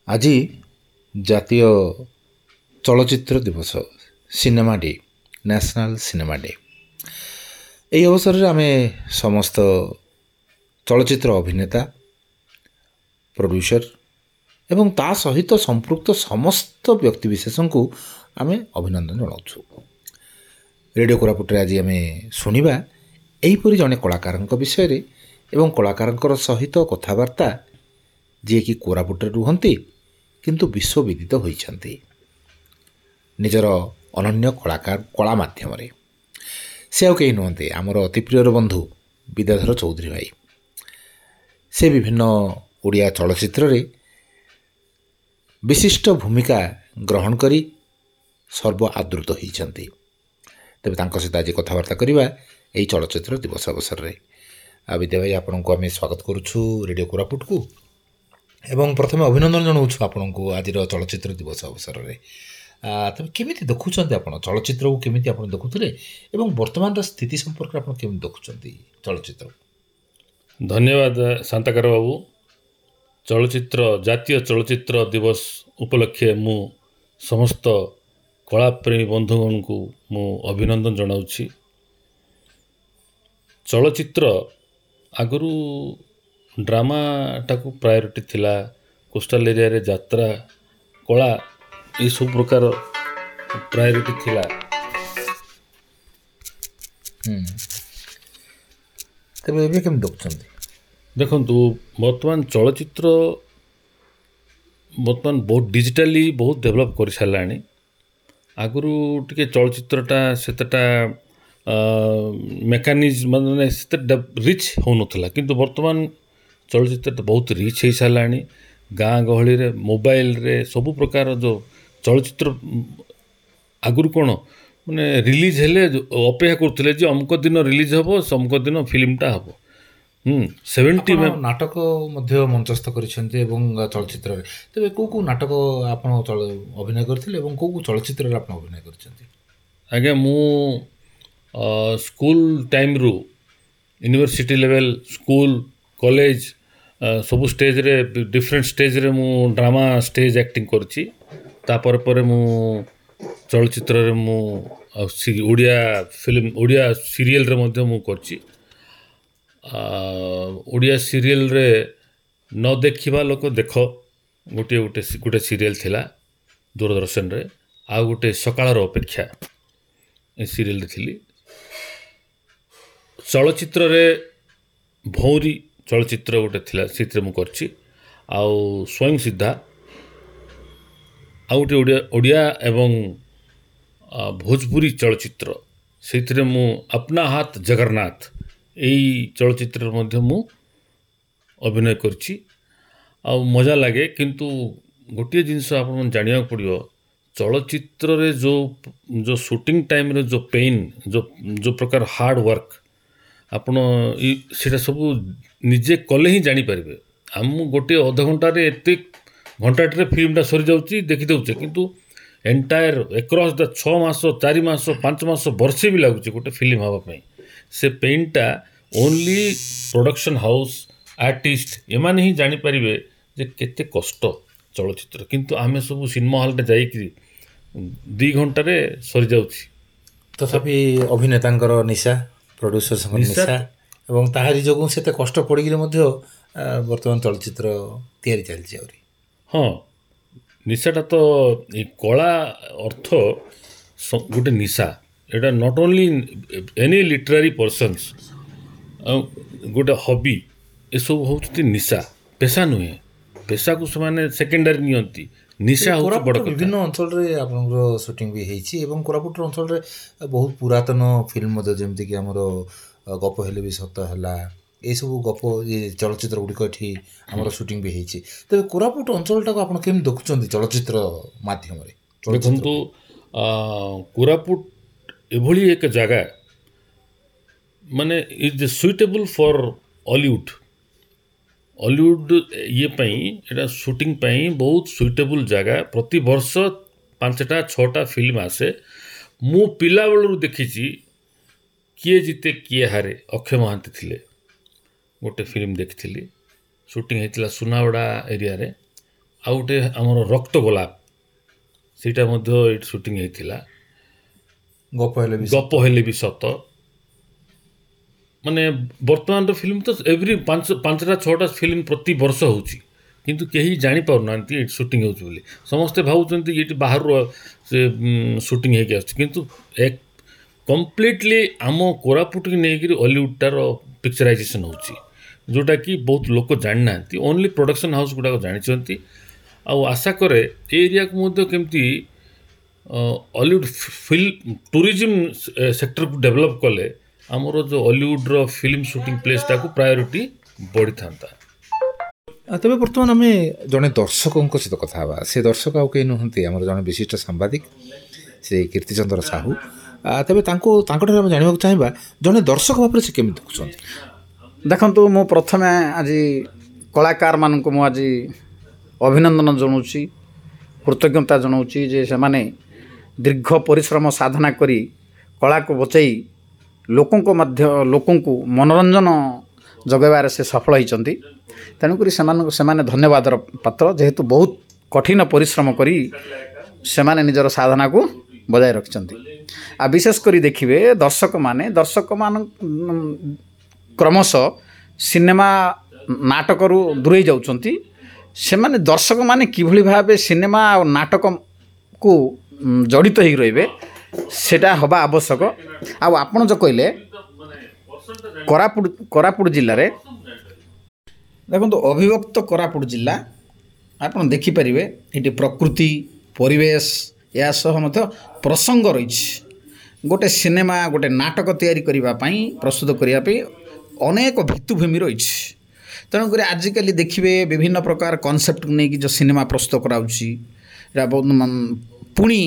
ଆଜି ଜାତୀୟ ଚଳଚ୍ଚିତ୍ର ଦିବସ, cinema day, national cinema day. ଏହି ଅବସରରେ ଆମେ ସମସ୍ତ ଚଳଚ୍ଚିତ୍ର ଅଭିନେତା, ପ୍ରଡ୍ୟୁସର ଏବଂ ତା ସହିତ ସମ୍ପୃକ୍ତ ସମସ୍ତ ବ୍ୟକ୍ତିବିଶେଷଙ୍କୁ ଆମେ ଅଭିନନ୍ଦନ ଜଣାଉଛୁ। ରେଡ଼ିଓ କୋରାପୁଟରେ ଆଜି ଆମେ ଶୁଣିବା ଏହିପରି ଜଣେ କଳାକାରଙ୍କ ବିଷୟରେ ଏବଂ କଳାକାରଙ୍କର ସହିତ କଥାବାର୍ତ୍ତା, ଯିଏକି କୋରାପୁଟରେ ରୁହନ୍ତି କିନ୍ତୁ ବିଶ୍ୱବିଦିତ ହୋଇଛନ୍ତି ନିଜର ଅନନ୍ୟ କଳାକାର କଳା ମାଧ୍ୟମରେ। ସେ ଆଉ କେହି ନୁହନ୍ତି, ଆମର ଅତି ପ୍ରିୟର ବନ୍ଧୁ ବିଦ୍ୟାଧର ଚୌଧୁରୀ ଭାଇ। ସେ ବିଭିନ୍ନ ଓଡ଼ିଆ ଚଳଚ୍ଚିତ୍ରରେ ବିଶିଷ୍ଟ ଭୂମିକା ଗ୍ରହଣ କରି ସର୍ବ ଆଦୃତ ହୋଇଛନ୍ତି। ତେବେ ତାଙ୍କ ସହିତ ଆଜି କଥାବାର୍ତ୍ତା କରିବା ଏହି ଚଳଚ୍ଚିତ୍ର ଦିବସ ଅବସରରେ। ଆଉ ବିଦ୍ୟା ଭାଇ, ଆପଣଙ୍କୁ ଆମେ ସ୍ୱାଗତ କରୁଛୁ ରେଡ଼ିଓ କୋରାପୁଟକୁ ଏବଂ ପ୍ରଥମେ ଅଭିନନ୍ଦନ ଜଣାଉଛୁ ଆପଣଙ୍କୁ ଆଜିର ଚଳଚ୍ଚିତ୍ର ଦିବସ ଅବସରରେ। ତେବେ କେମିତି ଦେଖୁଛନ୍ତି ଆପଣ ଚଳଚ୍ଚିତ୍ରକୁ, କେମିତି ଆପଣ ଦେଖୁଥିଲେ ଏବଂ ବର୍ତ୍ତମାନର ସ୍ଥିତି ସମ୍ପର୍କରେ ଆପଣ କେମିତି ଦେଖୁଛନ୍ତି ଚଳଚ୍ଚିତ୍ରକୁ? ଧନ୍ୟବାଦ ଶାନ୍ତାକାର ବାବୁ। ଚଳଚ୍ଚିତ୍ର ଜାତୀୟ ଚଳଚ୍ଚିତ୍ର ଦିବସ ଉପଲକ୍ଷେ ମୁଁ ସମସ୍ତ କଳାପ୍ରେମୀ ବନ୍ଧୁଗଣଙ୍କୁ ମୁଁ ଅଭିନନ୍ଦନ ଜଣାଉଛି। ଚଳଚ୍ଚିତ୍ର ଆଗରୁ ଡ୍ରାମାଟାକୁ ପ୍ରାୟୋରିଟି ଥିଲା, କୋଷ୍ଟାଲ ଏରିଆରେ ଯାତ୍ରା, କଳା ଏସବୁ ପ୍ରକାର ପ୍ରାୟୋରିଟି ଥିଲା। ତେବେ ଏବେ କେମିତି ଦେଖୁଛନ୍ତି? ଦେଖନ୍ତୁ, ବର୍ତ୍ତମାନ ଚଳଚ୍ଚିତ୍ର ବର୍ତ୍ତମାନ ବହୁତ ଡିଜିଟାଲି ବହୁତ ଡେଭଲପ୍ କରିସାରିଲାଣି। ଆଗରୁ ଟିକେ ଚଳଚ୍ଚିତ୍ରଟା ସେତେଟା ମେକାନିଜମ୍ ମାନେ ସେତେ ରିଚ୍ ହେଉନଥିଲା, କିନ୍ତୁ ବର୍ତ୍ତମାନ ଚଳଚ୍ଚିତ୍ରଟା ବହୁତ ରିଚ୍ ହେଇସାରିଲାଣି। ଗାଁ ଗହଳିରେ ମୋବାଇଲରେ ସବୁ ପ୍ରକାର ଯେଉଁ ଚଳଚ୍ଚିତ୍ର, ଆଗରୁ କ'ଣ ମାନେ ରିଲିଜ୍ ହେଲେ ଅପେକ୍ଷା କରୁଥିଲେ ଯେ ଅମୁକ ଦିନ ରିଲିଜ୍ ହେବ, ଅମୁକ ଦିନ ଫିଲ୍ମଟା ହେବ। 70 ଆପଣ ନାଟକ ମଧ୍ୟ ମଞ୍ଚସ୍ଥ କରିଛନ୍ତି ଏବଂ ଚଳଚ୍ଚିତ୍ରରେ। ତେବେ କେଉଁ କେଉଁ ନାଟକ ଆପଣ ଅଭିନୟ କରିଥିଲେ ଏବଂ କେଉଁ କେଉଁ ଚଳଚ୍ଚିତ୍ରରେ ଆପଣ ଅଭିନୟ କରିଛନ୍ତି? ଆଜ୍ଞା, ମୁଁ ସ୍କୁଲ ଟାଇମ୍ରୁ ୟୁନିଭର୍ସିଟି ଲେଭେଲ୍, ସ୍କୁଲ, କଲେଜ ସବୁ ଷ୍ଟେଜ୍ରେ, ଡିଫରେଣ୍ଟ ଷ୍ଟେଜ୍ରେ ମୁଁ ଡ୍ରାମା ଷ୍ଟେଜ୍ ଆକ୍ଟିଂ କରିଛି। ତାପରେ ପରେ ମୁଁ ଚଳଚ୍ଚିତ୍ରରେ ମୁଁ ଓଡ଼ିଆ ଫିଲ୍ମ, ଓଡ଼ିଆ ସିରିଏଲ୍ରେ ମଧ୍ୟ ମୁଁ କରିଛି। ଓଡ଼ିଆ ସିରିଏଲ୍ରେ ନ ଦେଖିବା ଲୋକ ଦେଖ ଗୋଟିଏ ଗୋଟେ ଗୋଟେ ସିରିଏଲ୍ ଥିଲା ଦୂରଦର୍ଶନରେ, ଆଉ ଗୋଟେ ସକାଳର ଅପେକ୍ଷା, ଏ ସିରିଏଲ୍ରେ ଥିଲି। ଚଳଚ୍ଚିତ୍ରରେ ଭଉଁରୀ ଚଳଚ୍ଚିତ୍ର ଗୋଟେ ଥିଲା, ସେଥିରେ ମୁଁ କରିଛି। ଆଉ ସ୍ୱୟଂ ସିଦ୍ଧା, ଆଉ ଗୋଟେ ଓଡ଼ିଆ ଏବଂ ଭୋଜପୁରୀ ଚଳଚ୍ଚିତ୍ର, ସେଇଥିରେ ମୁଁ ଆପନା ହାତ ଜଗନ୍ନାଥ ଏଇ ଚଳଚ୍ଚିତ୍ରରେ ମଧ୍ୟ ମୁଁ ଅଭିନୟ କରିଛି। ଆଉ ମଜା ଲାଗେ। କିନ୍ତୁ ଗୋଟିଏ ଜିନିଷ ଆପଣଙ୍କୁ ଜାଣିବାକୁ ପଡ଼ିବ, ଚଳଚ୍ଚିତ୍ରରେ ଯେଉଁ ଯେଉଁ ସୁଟିଂ ଟାଇମ୍ରେ ଯେଉଁ ପେନ୍, ଯେଉଁ ଯେଉଁ ପ୍ରକାର ହାର୍ଡ଼ ୱାର୍କ, ଆପଣ ସେଇଟା ସବୁ ନିଜେ କଲେ ହିଁ ଜାଣିପାରିବେ। ଆମ ଗୋଟିଏ ଅଧଘଣ୍ଟାରେ ଏତେ ଘଣ୍ଟାଟିରେ ଫିଲ୍ମଟା ସରିଯାଉଛି, ଦେଖିଦେଉଛେ, କିନ୍ତୁ ଏଣ୍ଟାୟାର ଏକ୍ରସ୍ ଦ 6 ମାସ, 4 ମାସ, 5 ମାସ, ବର୍ଷେ ବି ଲାଗୁଛି ଗୋଟେ ଫିଲ୍ମ ହେବା ପାଇଁ। ସେ ପେନ୍ଟା ଓନ୍ଲି ପ୍ରଡକ୍ସନ୍ ହାଉସ୍, ଆର୍ଟିଷ୍ଟ ଏମାନେ ହିଁ ଜାଣିପାରିବେ ଯେ କେତେ କଷ୍ଟ ଚଳଚ୍ଚିତ୍ର। କିନ୍ତୁ ଆମେ ସବୁ ସିନେମା ହଲ୍ରେ ଯାଇକରି 2 ଘଣ୍ଟାରେ ସରିଯାଉଛି। ତଥାପି ଅଭିନେତାଙ୍କର ନିଶା, ପ୍ରଡ୍ୟୁସର୍ସଙ୍କ ନିଶା ଏବଂ ତାହାରି ଯୋଗୁଁ ସେତେ କଷ୍ଟ ପଡ଼ିକିରି ମଧ୍ୟ ବର୍ତ୍ତମାନ ଚଳଚ୍ଚିତ୍ର ତିଆରି ଚାଲିଛି ଆହୁରି। ହଁ, ନିଶାଟା ତ ଏ କଳା ଅର୍ଥ ଗୋଟେ ନିଶା। ଏଇଟା not only any literary persons, ଆଉ ଗୋଟେ ହବି, ଏସବୁ ହେଉଛନ୍ତି ନିଶା, ପେଶା ନୁହେଁ। ପେଶାକୁ ସେମାନେ ସେକେଣ୍ଡାରୀ ନିଅନ୍ତି, ନିଶା ହେଉଛି ବଡ଼ କଥା। ବିଭିନ୍ନ ଅଞ୍ଚଳରେ ଆପଣଙ୍କର ସୁଟିଂ ବି ହେଇଛି ଏବଂ କୋରାପୁଟର ଅଞ୍ଚଳରେ ବହୁତ ପୁରାତନ ଫିଲ୍ମ ମଧ୍ୟ, ଯେମିତିକି ଆମର ଗପ ହେଲେ ବି ସତ ହେଲା, ଏସବୁ ଗପ ଚଳଚ୍ଚିତ୍ର ଗୁଡ଼ିକ ଏଠି ଆମର ସୁଟିଂ ବି ହେଇଛି। ତେବେ କୋରାପୁଟ ଅଞ୍ଚଳଟାକୁ ଆପଣ କେମିତି ଦେଖୁଛନ୍ତି ଚଳଚ୍ଚିତ୍ର ମାଧ୍ୟମରେ? ଦେଖନ୍ତୁ, କୋରାପୁଟ ଏଭଳି ଏକ ଜାଗା, ମାନେ is suitable for Hollywood. Hollywood ଇଏ ପାଇଁ, ଏଇଟା ସୁଟିଂ ପାଇଁ ବହୁତ ସୁଇଟେବୁଲ୍ ଜାଗା। ପ୍ରତିବର୍ଷ 5ଟା 6ଟା ଫିଲ୍ମ ଆସେ। ମୁଁ ପିଲାବେଳରୁ ଦେଖିଛି କିଏ ଜିତେ କିଏ ହାରେ, ଅକ୍ଷୟ ମହାନ୍ତି ଥିଲେ, ଗୋଟେ ଫିଲ୍ମ ଦେଖିଥିଲି, ସୁଟିଂ ହେଇଥିଲା ସୁନାବେଡ଼ା ଏରିଆରେ। ଆଉ ଗୋଟେ ଆମର ରକ୍ତ ଗୋଲାପ, ସେଇଟା ମଧ୍ୟ ଏଇଠି ସୁଟିଂ ହେଇଥିଲା। ଗପ ହେଲେ ବି, ଗପ ହେଲେ ବି ସତ। ମାନେ ବର୍ତ୍ତମାନର ଫିଲ୍ମ ତ ଏଭ୍ରି 5ଟା 6ଟା ଫିଲ୍ମ ପ୍ରତି ବର୍ଷ ହେଉଛି, କିନ୍ତୁ କେହି ଜାଣିପାରୁନାହାନ୍ତି ଏଇଠି ସୁଟିଂ ହେଉଛି ବୋଲି। ସମସ୍ତେ ଭାବୁଛନ୍ତି ଏଇଠି ବାହାରୁ ସେ ସୁଟିଂ ହେଇକି ଆସୁଛି, କିନ୍ତୁ ଏକ କମ୍ପ୍ଲିଟଲି ଆମ କୋରାପୁଟକୁ ନେଇକରି ଅଲିଉଡ଼ଟାର ପିକ୍ଚରାଇଜେସନ୍ ହେଉଛି, ଯେଉଁଟାକି ବହୁତ ଲୋକ ଜାଣିନାହାନ୍ତି। ଓନ୍ଲି ପ୍ରଡ଼କ୍ସନ୍ ହାଉସ୍ ଗୁଡ଼ାକ ଜାଣିଛନ୍ତି। ଆଉ ଆଶା କରେ ଏ ଏରିଆକୁ ମଧ୍ୟ କେମିତି ଅଲିଉଡ଼ ଫିଲ୍ମ ଟୁରିଜିମ୍ ସେକ୍ଟରକୁ ଡେଭଲପ୍ କଲେ ଆମର ଯେଉଁ ଅଲିଉଡ଼ର ଫିଲ୍ମ ସୁଟିଂ ପ୍ଲେସ୍ଟାକୁ ପ୍ରାୟୋରିଟି ବଢ଼ିଥାନ୍ତା। ତେବେ ବର୍ତ୍ତମାନ ଆମେ ଜଣେ ଦର୍ଶକଙ୍କ ସହିତ କଥା ହେବା। ସେ ଦର୍ଶକ ଆଉ କେହି ନୁହନ୍ତି, ଆମର ଜଣେ ବିଶିଷ୍ଟ ସାମ୍ବାଦିକ ଶ୍ରୀ କୀର୍ତ୍ତିଚନ୍ଦ୍ର ସାହୁ। ତେବେ ତାଙ୍କଠାରୁ ଆମେ ଜାଣିବାକୁ ଚାହିଁବା ଜଣେ ଦର୍ଶକ ଭାବରେ ସେ କେମିତି ଦେଖୁଛନ୍ତି। ଦେଖନ୍ତୁ, ମୁଁ ପ୍ରଥମେ ଆଜି କଳାକାରମାନଙ୍କୁ ମୁଁ ଆଜି ଅଭିନନ୍ଦନ ଜଣାଉଛି, କୃତଜ୍ଞତା ଜଣାଉଛି ଯେ ସେମାନେ ଦୀର୍ଘ ପରିଶ୍ରମ ସାଧନା କରି କଳାକୁ ବଚାଇ ଲୋକଙ୍କ ମଧ୍ୟ ଲୋକଙ୍କୁ ମନୋରଞ୍ଜନ ଯୋଗାଇବାରେ ସେ ସଫଳ ହୋଇଛନ୍ତି। ତେଣୁକରି ସେମାନେ ଧନ୍ୟବାଦର ପାତ୍ର, ଯେହେତୁ ବହୁତ କଠିନ ପରିଶ୍ରମ କରି ସେମାନେ ନିଜର ସାଧନାକୁ ବଜାୟ ରଖିଛନ୍ତି। ଆଉ ବିଶେଷ କରି ଦେଖିବେ ଦର୍ଶକମାନେ କ୍ରମଶଃ ସିନେମା ନାଟକରୁ ଦୂରେଇ ଯାଉଛନ୍ତି। ସେମାନେ ଦର୍ଶକମାନେ କିଭଳି ଭାବେ ସିନେମା ଆଉ ନାଟକକୁ ଜଡ଼ିତ ହେଇକି ରହିବେ ସେଇଟା ହେବା ଆବଶ୍ୟକ। ଆଉ ଆପଣ ଯେଉଁ କହିଲେ କୋରାପୁଟ ଜିଲ୍ଲାରେ ଦେଖନ୍ତୁ, ଅବିଭକ୍ତ କୋରାପୁଟ ଜିଲ୍ଲା ଆପଣ ଦେଖିପାରିବେ ଏଠି ପ୍ରକୃତି, ପରିବେଶ, ଏହା ସହ ମଧ୍ୟ ପ୍ରସଙ୍ଗ ରହିଛି। ଗୋଟେ ସିନେମା, ଗୋଟେ ନାଟକ ତିଆରି କରିବା ପାଇଁ, ପ୍ରସ୍ତୁତ କରିବା ପାଇଁ ଅନେକ ଭିତ୍ତିଭୂମି ରହିଛି। ତେଣୁକରି ଆଜିକାଲି ଦେଖିବେ ବିଭିନ୍ନ ପ୍ରକାର କନସେପ୍ଟକୁ ନେଇକି ଯେଉଁ ସିନେମା ପ୍ରସ୍ତୁତ କରାଯାଉଛି, ଏଇଟା ବହୁତ ପୁଣି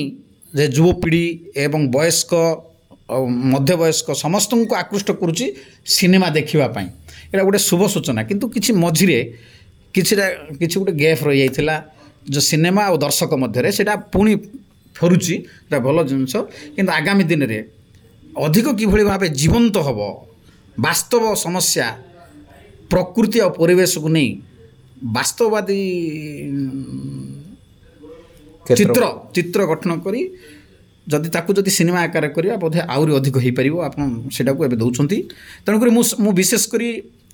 ଯେ ଯୁବପିଢ଼ି ଏବଂ ବୟସ୍କ ମଧ୍ୟବୟସ୍କ ସମସ୍ତଙ୍କୁ ଆକୃଷ୍ଟ କରୁଛି ସିନେମା ଦେଖିବା ପାଇଁ। ଏଇଟା ଗୋଟେ ଶୁଭ ସୂଚନା। କିନ୍ତୁ କିଛି ମଝିରେ କିଛି ଗୋଟେ ଗ୍ୟାପ୍ ରହିଯାଇଥିଲା ଯେଉଁ ସିନେମା ଆଉ ଦର୍ଶକ ମଧ୍ୟରେ, ସେଇଟା ପୁଣି ଫେରୁଛି, ଏଇଟା ଭଲ ଜିନିଷ। କିନ୍ତୁ ଆଗାମୀ ଦିନରେ ଅଧିକ କିଭଳି ଭାବେ ଜୀବନ୍ତ ହେବ, ବାସ୍ତବ ସମସ୍ୟା, ପ୍ରକୃତି ଆଉ ପରିବେଶକୁ ନେଇ ବାସ୍ତବବାଦୀ ଚିତ୍ର ଗଠନ କରି ଯଦି ତାକୁ ଯଦି ସିନେମା ଆକାରରେ କରିବା ବୋଧେ ଆହୁରି ଅଧିକ ହେଇପାରିବ। ଆପଣ ସେଇଟାକୁ ଏବେ ଦେଉଛନ୍ତି। ତେଣୁକରି ମୁଁ ବିଶେଷ କରି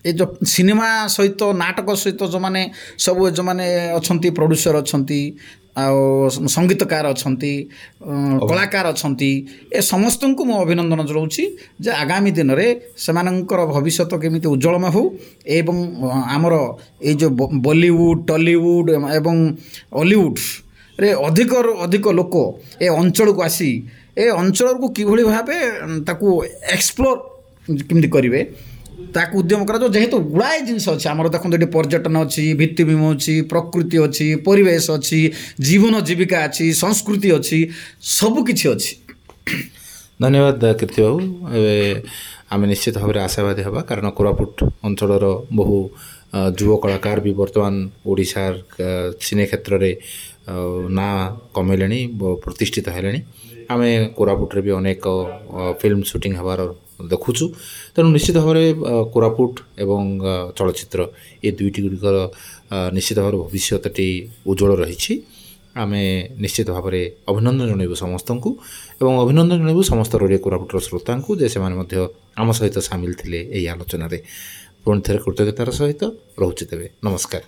ଏ ଯେଉଁ ସିନେମା ସହିତ ନାଟକ ସହିତ ଯେଉଁମାନେ ସବୁ ଯେଉଁମାନେ ଅଛନ୍ତି, ପ୍ରଡ୍ୟୁସର ଅଛନ୍ତି, ଆଉ ସଙ୍ଗୀତକାର ଅଛନ୍ତି, କଳାକାର ଅଛନ୍ତି, ଏ ସମସ୍ତଙ୍କୁ ମୁଁ ଅଭିନନ୍ଦନ ଜଣାଉଛି ଯେ ଆଗାମୀ ଦିନରେ ସେମାନଙ୍କର ଭବିଷ୍ୟତ କେମିତି ଉଜ୍ଜଳମୟ ହେଉ ଏବଂ ଆମର ଏଇ ଯେଉଁ ବଲିଉଡ଼, ଟଲିଉଡ଼ ଏବଂ ଅଲିଉଡ଼ରେ ଅଧିକରୁ ଅଧିକ ଲୋକ ଏ ଅଞ୍ଚଳକୁ ଆସି ଏ ଅଞ୍ଚଳକୁ କିଭଳି ଭାବେ ତାକୁ ଏକ୍ସପ୍ଲୋର କେମିତି କରିବେ ତାକୁ ଉଦ୍ୟମ କରାଯାଉ। ଯେହେତୁ ଗୁଡ଼ାଏ ଜିନିଷ ଅଛି ଆମର, ଦେଖନ୍ତୁ ଏଠି ପର୍ଯ୍ୟଟନ ଅଛି, ଭିତ୍ତିଭୂମି ଅଛି, ପ୍ରକୃତି ଅଛି, ପରିବେଶ ଅଛି, ଜୀବନ ଜୀବିକା ଅଛି, ସଂସ୍କୃତି ଅଛି, ସବୁକିଛି ଅଛି। ଧନ୍ୟବାଦ କୀର୍ତ୍ତି ବାବୁ। ଏବେ ଆମେ ନିଶ୍ଚିତ ଭାବରେ ଆଶାବାଦୀ ହେବା, କାରଣ କୋରାପୁଟ ଅଞ୍ଚଳର ବହୁ ଯୁବ କଳାକାର ବି ବର୍ତ୍ତମାନ ଓଡ଼ିଶାର ସିନେ କ୍ଷେତ୍ରରେ ନାଁ କମେଇଲେଣି, ପ୍ରତିଷ୍ଠିତ ହେଲେଣି। ଆମେ କୋରାପୁଟରେ ବି ଅନେକ ଫିଲ୍ମ ସୁଟିଂ ହେବାର ଦେଖୁଛୁ। ତେଣୁ ନିଶ୍ଚିତ ଭାବରେ କୋରାପୁଟ ଏବଂ ଚଳଚ୍ଚିତ୍ର ଏ ଦୁଇଟି ଗୁଡ଼ିକର ନିଶ୍ଚିତ ଭାବରେ ଭବିଷ୍ୟତଟି ଉଜ୍ଜଳ ରହିଛି। ଆମେ ନିଶ୍ଚିତ ଭାବରେ ଅଭିନନ୍ଦନ ଜଣାଇବୁ ସମସ୍ତଙ୍କୁ ଏବଂ ଅଭିନନ୍ଦନ ଜଣାଇବୁ ସମସ୍ତ ରେଡ଼ିଓ କୋରାପୁଟର ଶ୍ରୋତାଙ୍କୁ ଯେ ସେମାନେ ମଧ୍ୟ ଆମ ସହିତ ସାମିଲ ଥିଲେ ଏହି ଆଲୋଚନାରେ। ପୁଣି ଥରେ କୃତଜ୍ଞତାର ସହିତ ରହୁଛି ତେବେ, ନମସ୍କାର।